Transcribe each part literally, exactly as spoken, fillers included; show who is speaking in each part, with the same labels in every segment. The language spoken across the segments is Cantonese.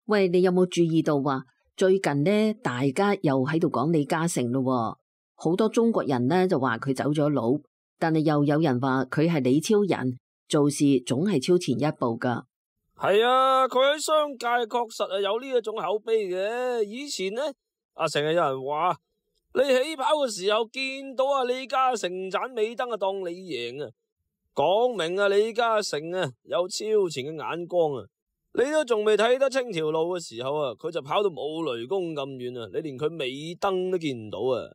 Speaker 1: 喂，你有冇注意到啊？最近呢，大家又喺度講李嘉誠咯，好多中國人呢就話佢走咗佬，但係又有人話佢係李超人，做事總係超前一步噶。
Speaker 2: 係啊，佢喺商界確實係有呢一種口碑嘅。以前呢，啊成日有人話你起跑嘅時候見到啊李嘉誠盞尾燈啊，當你贏啊，講明啊李嘉誠啊有超前嘅眼光啊。你都仲未睇得清條路嘅時候啊，佢就跑到冇雷公咁遠啊，你連佢尾燈都見唔到啊！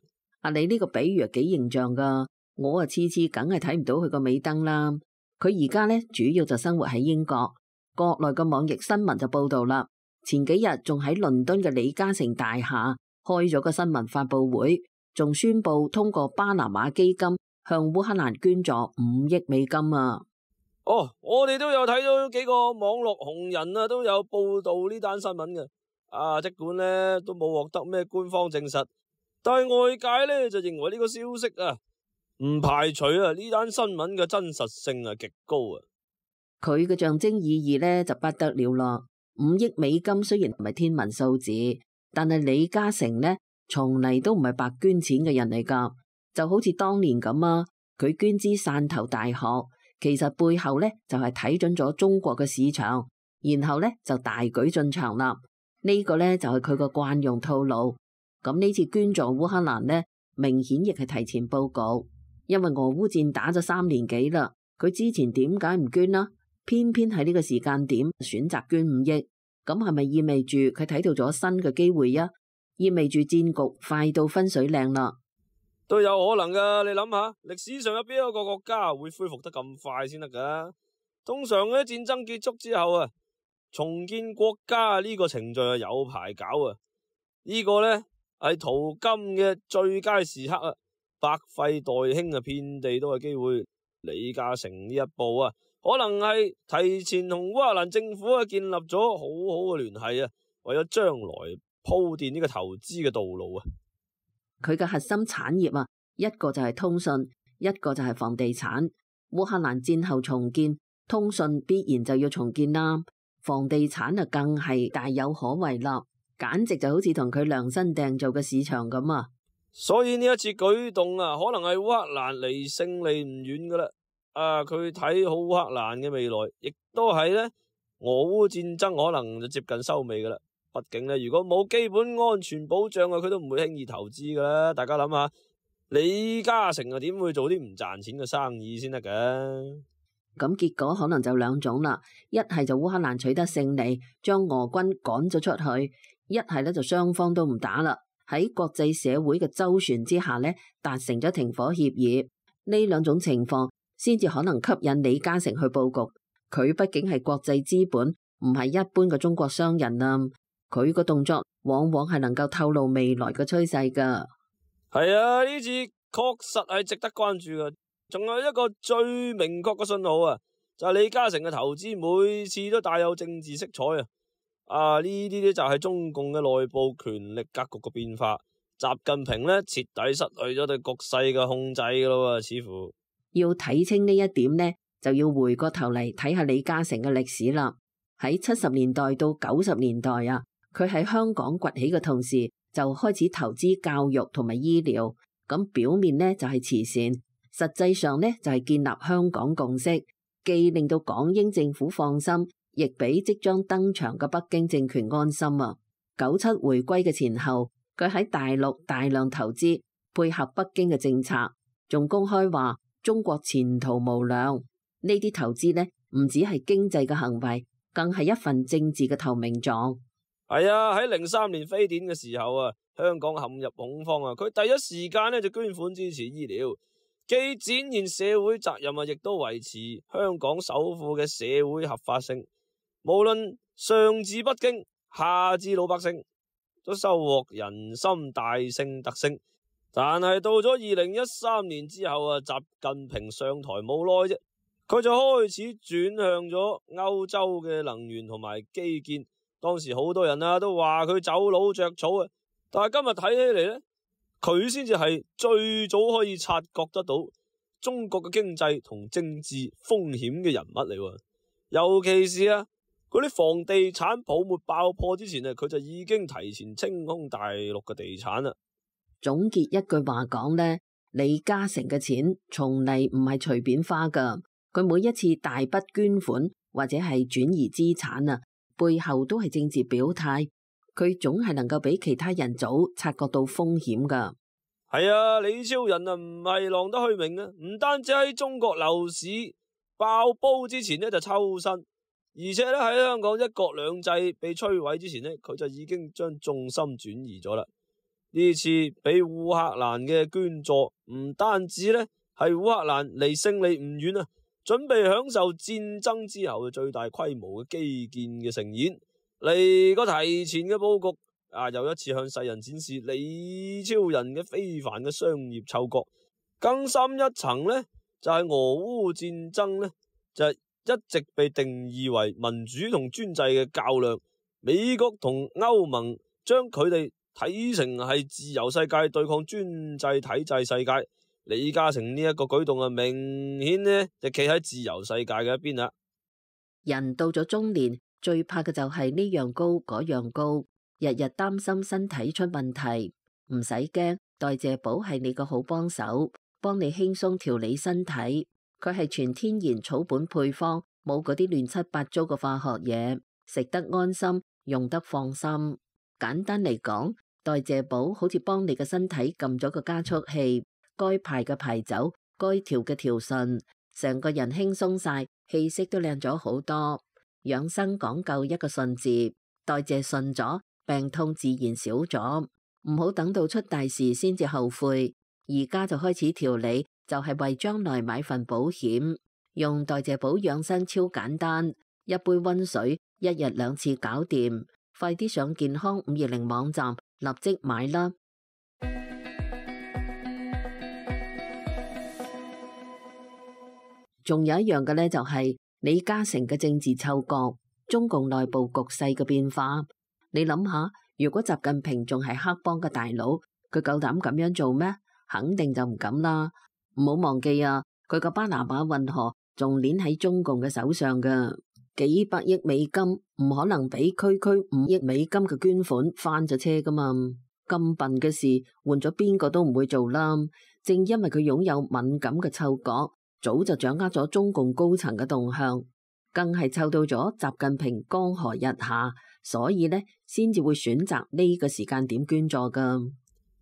Speaker 1: 啊，你呢個比喻啊幾形象噶，我啊次次梗係睇唔到佢個尾燈啦。佢而家呢，主要就生活喺英國，國內嘅網易新聞就報道啦，前幾日仲喺倫敦嘅李嘉誠大廈開咗個新聞發布會，仲宣布通過巴拿馬基金向烏克蘭捐助五億美金啊！
Speaker 2: 哦，我哋都有睇到幾個網絡紅人啊，都有報道呢單新聞嘅。啊，儘管呢都冇獲得咩官方證實，但係外界呢就認為呢個消息啊，唔排除啊呢單新聞嘅真實性係極高啊。
Speaker 1: 佢嘅象徵意義呢就不得了咯。五億美金雖然唔係天文數字，但係李嘉誠呢從嚟都唔係白捐錢嘅人嚟噶，就好似當年咁啊，佢捐資汕頭大學。其實背後咧就係睇準咗中國嘅市場，然後咧就大舉進場啦。呢個咧就係佢個慣用套路。咁呢次捐助烏克蘭呢，明顯亦係提前報告，因為俄烏戰打咗三年幾啦。佢之前點解唔捐啦？偏偏喺呢個時間點選擇捐五億，咁係咪意味住佢睇到咗新嘅機會啊？意味住戰局快到分水嶺啦？
Speaker 2: 都有可能噶，你諗下，歷史上有邊一個國家會恢復得咁快先得噶？通常咧戰爭結束之後啊，重建國家呢個程序係有排搞啊。呢個呢係淘金嘅最佳時刻啊，百廢待興啊，遍地都係機會。李嘉誠呢一步啊，可能係提前同烏克蘭政府啊建立咗好好嘅聯繫啊，為咗將來鋪墊呢個投資嘅道路啊。
Speaker 1: 佢嘅核心產業啊，一個就係通訊，一個就係房地產。烏克蘭戰後重建，通訊必然就要重建啦，房地產啊更係大有可為啦，簡直就好似同佢量身訂造嘅市場咁啊！
Speaker 2: 所以呢一次舉動啊，可能係烏克蘭離勝利唔遠噶啦。啊，佢睇好烏克蘭嘅未來，亦都係呢俄烏戰爭可能就接近收尾噶啦。畢竟咧，如果冇基本安全保障啊，佢都唔會輕易投資噶啦。大家諗下，李嘉誠啊，點會做啲唔賺錢嘅生意先得㗎？
Speaker 1: 咁結果可能就兩種啦，一係就烏克蘭取得勝利，將俄軍趕咗出去；一係咧就雙方都唔打啦，喺國際社會嘅周旋之下咧，達成咗停火協議。呢兩種情況先至可能吸引李嘉誠去佈局。佢畢竟係國際資本，唔係一般嘅中國商人啊。佢個動作往往係能夠透露未來嘅趨勢噶。
Speaker 2: 係啊，呢次確實係值得關注噶。仲有一個最明確嘅信號啊，就係李嘉誠嘅投資每次都帶有政治色彩啊。啊，呢啲咧就係中共嘅內部權力格局嘅變化。習近平咧徹底失去咗對局勢嘅控制噶咯，似乎
Speaker 1: 要睇清呢一點呢，就要回過頭嚟睇下李嘉誠嘅歷史啦。喺七十年代到九十年代啊。佢喺香港崛起嘅同時，就開始投資教育同埋醫療。咁表面呢就係慈善，實際上呢就係建立香港共識，既令到港英政府放心，亦俾即將登場嘅北京政權安心啊！九七回歸嘅前後，佢喺大陸大量投資，配合北京嘅政策，仲公開話中國前途無量。呢啲投資呢，唔止係經濟嘅行為，更係一份政治嘅投名狀。
Speaker 2: 係啊，喺零三年非典嘅時候啊，香港陷入恐慌啊，佢第一時間咧就捐款支持醫療，既展現社會責任啊，亦都維持香港首富嘅社會合法性。無論上至北京，下至老百姓，都收穫人心大勝特勝。但係到咗二零一三年之後啊，習近平上台冇耐啫，佢就開始轉向咗歐洲嘅能源同埋基建。當時好多人啊都話佢走佬着草啊，但係今日睇起嚟咧，佢先至係最早可以察覺得到中國嘅經濟同政治風險嘅人物嚟喎。尤其是啊，嗰啲房地產泡沫爆破之前啊，佢就已經提前清空大陸嘅地產啦。
Speaker 1: 總結一句話講呢，李嘉誠嘅錢從嚟唔係隨便花噶，佢每一次大筆捐款或者係轉移資產啊，背後都係政治表態，佢總係能夠比其他人早察覺到風險噶。
Speaker 2: 係啊，李超人啊唔係浪得虛名啊，唔單止喺中國樓市爆煲之前呢就抽身，而且咧喺香港一國兩制被摧毀之前呢，佢就已經將重心轉移咗啦。呢次俾烏克蘭嘅捐助，唔單止咧係烏克蘭離勝利唔遠啊，準備享受戰爭之後嘅最大規模嘅基建嘅盛宴，嚟個提前嘅佈局啊，又一次向世人展示李超人嘅非凡嘅商業嗅覺。更深一層呢，就係、是、俄烏戰爭呢，就係、是、一直被定義為民主同專制嘅較量。美國同歐盟將佢哋睇成係自由世界對抗專制體制世界。李嘉誠呢一個舉動啊，明顯呢就企喺自由世界嘅一邊啦。
Speaker 1: 人到咗中年，最怕嘅就係呢樣高嗰樣高，日日擔心身體出問題。唔使驚，代謝寶係你個好幫手，幫你輕鬆調理身體。佢係全天然草本配方，冇嗰啲亂七八糟嘅化學嘢，食得安心，用得放心。簡單嚟講，代謝寶好似幫你嘅身體撳咗個加速器，該排嘅排走，該調嘅調順，成個人輕鬆晒，氣色都靚咗好多。養生講究一個順字，代謝順咗，病痛自然少咗。唔好等到出大事先至後悔，而家就開始調理，就係為將來買份保險。用代謝寶養生超簡單，一杯溫水，一日兩次搞掂。快啲上健康五二零網站立即買啦！仲有一樣嘅呢，就係李嘉誠嘅政治嗅覺，中共內部局勢嘅變化。你諗下，如果習近平仲係黑幫嘅大佬，佢夠膽咁樣做咩？肯定就唔敢啦。唔好忘記啊，佢個巴拿馬運河仲鏈喺中共嘅手上噶，幾百億美金唔可能俾區區五億美金嘅捐款翻咗車噶嘛。咁笨嘅事換咗邊個都唔會做啦。正因為佢擁有敏感嘅嗅覺，早就掌握咗中共高層嘅動向，更係嗅到咗習近平江河日下，所以呢先至會選擇呢個時間點捐助噶。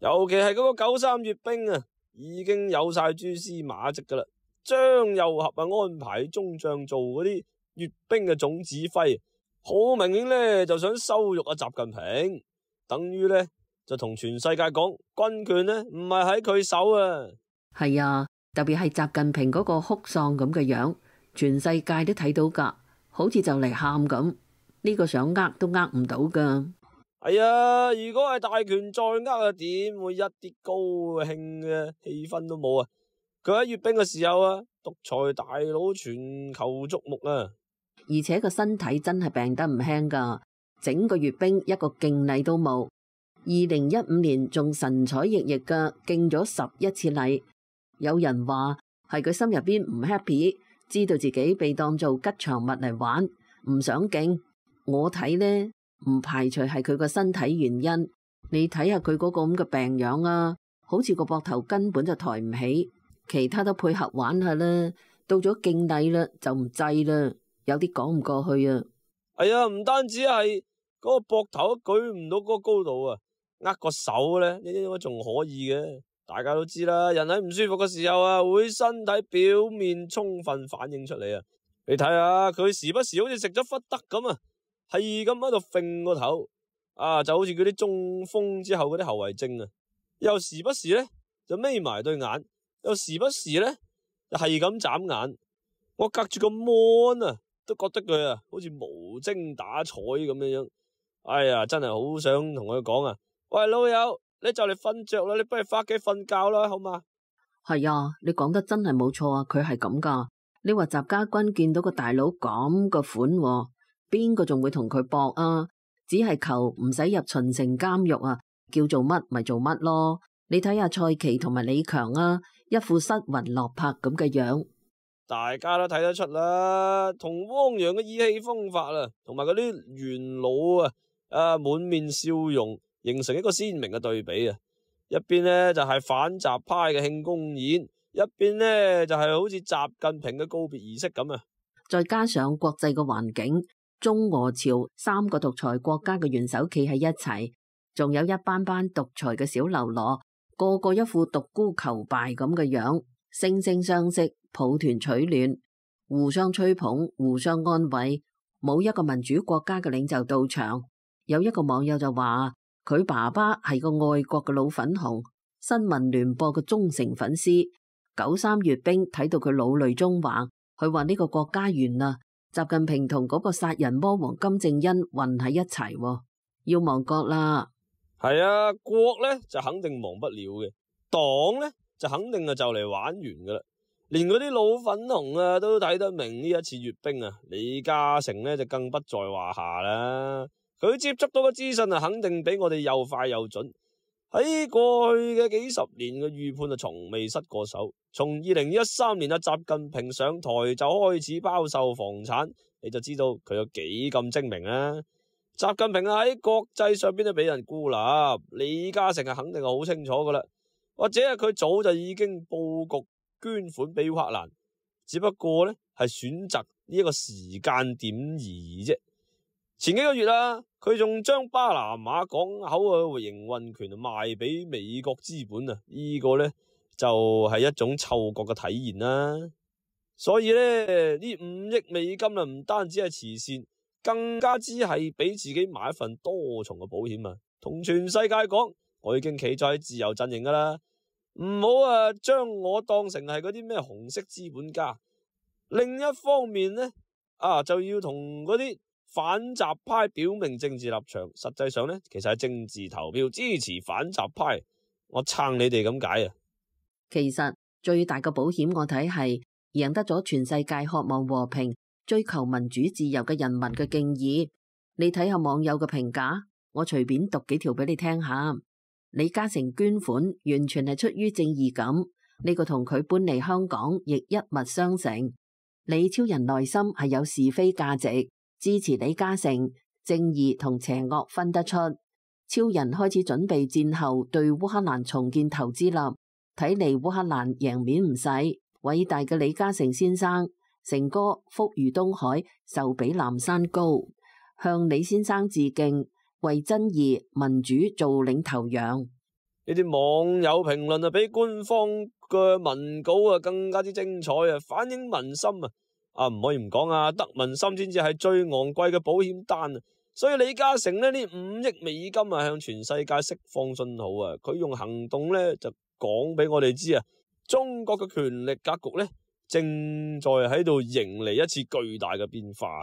Speaker 2: 尤其係嗰個九三閱兵啊，已經有晒蛛絲馬跡噶啦。張又俠啊安排中將做嗰啲閱兵嘅總指揮，好明顯呢就想羞辱阿習近平，等於呢就同全世界講軍權呢唔係喺佢手啊。
Speaker 1: 係啊，特別係習近平嗰個哭喪咁嘅樣，全世界都睇到噶，好似就嚟喊咁。呢個想呃都呃唔到噶。
Speaker 2: 係啊，如果係大權在握啊，點會一啲高興嘅氣氛都冇啊？佢喺閱兵嘅時候啊，獨裁大佬全球矚目啊！
Speaker 1: 而且個身體真係病得唔輕噶，整個閱兵一個敬禮都冇。二零一五年仲神采奕奕噶敬咗十一次禮。有人話係佢心入邊唔 happy，知道自己被當做吉祥物嚟玩，唔想敬。我睇呢，唔排除係佢個身體原因。你睇下佢嗰個咁嘅病樣啊，好似個膊頭根本就抬唔起。其他都配合玩下啦，到咗敬禮啦就唔制啦，有啲講唔過去啊。
Speaker 2: 係啊，唔單止係嗰個膊頭都舉唔到嗰個高度啊，握個手咧，呢啲應該仲可以嘅。大家都知啦，人喺唔舒服嘅時候啊，會身體表面充分反映出嚟啊。你睇下佢時不時好似食咗忽得咁啊，係咁喺度揈個頭啊，就好似嗰啲中風之後嗰啲後遺症啊。又時不時咧就眯埋對眼，又時不時咧就係咁眨眼。我隔住個 mon 啊，都覺得佢啊好似無精打采咁樣樣。哎呀，真係好想同佢講啊！喂，老友，你就嚟瞓着啦，你不如翻屋企瞓覺啦，好嘛？
Speaker 1: 係啊，你講得真係冇錯啊，佢係咁噶。你話習家軍見到個大佬咁個款，邊個仲會同佢搏啊？只係求唔使入秦城監獄啊，叫做乜咪做乜咯。你睇下蔡奇同埋李強啊，一副失魂落魄咁嘅樣。
Speaker 2: 大家都睇得出啦，同汪洋嘅意氣風發啊，同埋嗰啲元老啊，啊滿面笑容，形成一個鮮明嘅對比啊。一邊呢就係反習派嘅慶功宴，一邊呢就係好似習近平嘅告別儀式咁啊。
Speaker 1: 再加上國際嘅環境，中俄朝三個獨裁國家嘅元首企喺一齊，仲有一班班獨裁嘅小嘍囉，個個一副獨孤求敗咁嘅樣，惺惺相惜，抱團取暖，互相吹捧，互相安慰。冇一個民主國家嘅領袖到場。有一個網友就話佢爸爸係個愛國嘅老粉紅，新聞聯播嘅忠誠粉絲。九三閱兵睇到佢老淚縱橫，佢話呢個國家完啦，習近平同嗰個殺人魔王金正恩混喺一齊，要亡國啦。
Speaker 2: 係啊，國呢就肯定亡不了嘅，黨呢就肯定啊就嚟玩完噶啦。連嗰啲老粉紅啊都睇得明呢一次閱兵啊，李嘉誠呢就更不在話下啦。佢接觸到嘅資訊啊，肯定比我哋又快又準。喺過去嘅幾十年嘅預判啊，從未失過手。從二零一三年啊，習近平上台就開始包售房產，你就知道佢有幾咁精明啦。習近平啊喺國際上邊都俾人孤立，李嘉誠啊肯定係好清楚噶啦，或者係佢早就已經布局捐款俾烏克蘭，只不過呢係選擇呢一個時間點而已啫。前幾個月啊，佢仲將巴拿馬港口嘅營運權賣俾美國資本啊，呢個呢就係一種嗅覺嘅體現啦。所以呢，呢五億美金啊，唔單止係慈善，更加之係俾自己買一份多重嘅保險啊。同全世界講，我已經企在自由陣營噶啦，唔好啊將我當成係嗰啲咩紅色資本家。另一方面呢，啊就要同嗰啲反習派表明政治立場，實際上呢，其實係政治投票支持反習派，我撐你哋咁解啊。
Speaker 1: 其實最大嘅保險我睇係贏得咗全世界渴望和平、追求民主自由嘅人民嘅敬意。你睇下網友嘅評價，我隨便讀幾條俾你聽下。李嘉誠捐款完全係出於正義感，呢個同佢搬嚟香港亦一脈相承。李超人內心係有是非價值，支持李嘉誠，正義同邪惡分得出。超人開始準備戰後對烏克蘭重建投資啦，睇嚟烏克蘭贏面唔細。偉大嘅李嘉誠先生，成哥福如東海，壽比南山高，向李先生致敬，為真義民主做領頭羊。
Speaker 2: 呢啲網友評論啊，比官方嘅文稿啊更加之精彩啊，反映民心啊！啊唔可以唔講啊，得民心先至係最昂貴嘅保險單啊！所以李嘉誠呢，呢五億美金啊，向全世界釋放信號啊！佢用行動呢，就講俾我哋知啊，中國嘅權力格局呢，正在喺度迎嚟一次巨大嘅變化。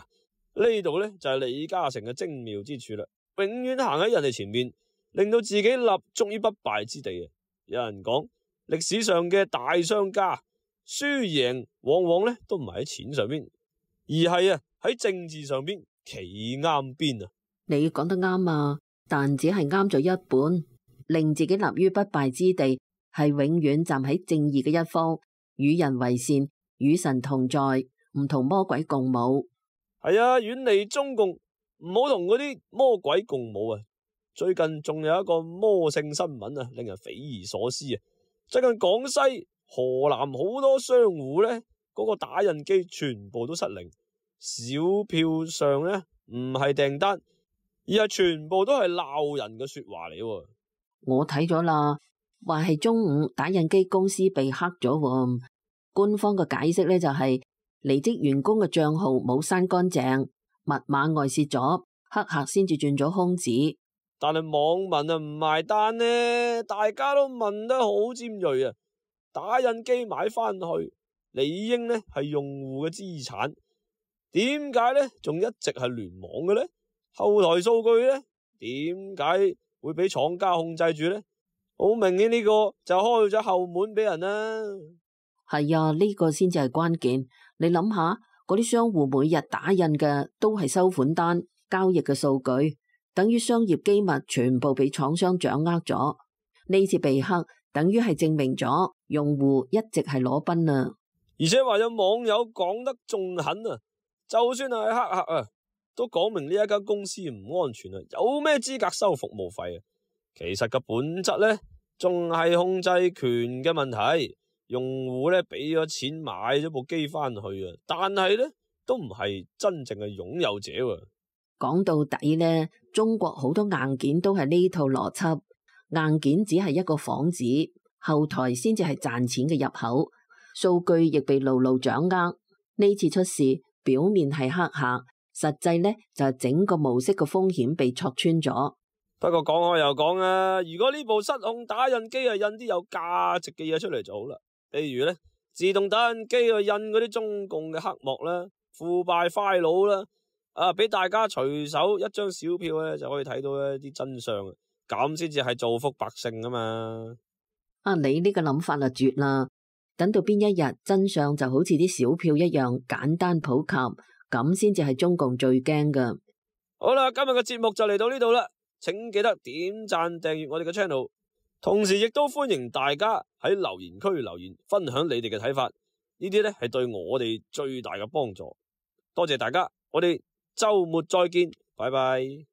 Speaker 2: 呢度呢，就係李嘉誠嘅精妙之處啦，永遠行喺人哋前面，令到自己立足於不敗之地啊！有人講歷史上嘅大商家輸贏往往呢都唔係喺錢上邊，而係啊喺政治上邊企啱邊啊！
Speaker 1: 你講得啱啊，但只係啱咗一半，令自己立於不敗之地，係永遠站喺正義嘅一方，與人為善，與神同在，唔同魔鬼共舞。
Speaker 2: 係啊，遠離中共，唔好同嗰啲魔鬼共舞啊！最近仲有一個魔性新聞啊，令人匪夷所思啊！最近廣西、河南好多商戶呢，嗰個打印機全部都失靈，小票上呢唔係訂單，而係全部都係鬧人嘅說話嚟。
Speaker 1: 我睇咗啦，話係中午打印機公司被黑咗，官方嘅解釋呢就係離職員工嘅賬號冇刪乾淨，密碼外泄咗，黑客先至轉咗空子。
Speaker 2: 但係網民啊唔埋單呢，大家都問得好尖銳啊！打印機買翻去，理應呢係用戶嘅資產，點解呢仲一直係聯網嘅呢？後台數據呢點解會俾廠家控制住呢？好明顯呢個就開咗後門俾人啦。
Speaker 1: 係啊，呢個先至係關鍵。你諗下，嗰啲商戶每日打印嘅都係收款單、交易嘅數據。等於商業機密全部被廠商掌握咗，呢次被黑，等於係證明咗用戶一直係裸奔啊！
Speaker 2: 而且話有網友講得仲狠啊，就算係黑客啊，都講明呢一間公司唔安全啊，有咩資格收服務費啊？其實個本質咧，仲係控制權嘅問題。用戶咧俾咗錢買咗部機翻去啊，但係咧都唔係真正嘅擁有者啊。
Speaker 1: 講到底咧，中國好多硬件都係呢套邏輯，硬件只係一個幌子，後台先至係賺錢嘅入口。數據亦被牢牢掌握。呢次出事，表面係黑客，實際咧就係整個模式嘅風險被戳穿咗。
Speaker 2: 不過講開又講啊，如果呢部失控打印機啊印啲有價值嘅嘢出嚟就好啦。例如咧，自動打印機去印嗰啲中共嘅黑幕啦、腐敗傀儡啦，啊，俾大家隨手一張小票咧就可以睇到一啲真相，咁先至係造福百姓啊嘛。
Speaker 1: 啊，你呢個諗法就絕啦！等到邊一日真相就好似啲小票一樣簡單普及，咁先至係中共最驚噶。
Speaker 2: 好啦，今日嘅節目就嚟到呢度啦，請記得點讚訂閱我哋嘅 channel。同時亦都歡迎大家喺留言區留言，分享你哋嘅睇法，呢啲咧係對我哋最大嘅幫助。多謝大家，我哋周末再見，拜拜。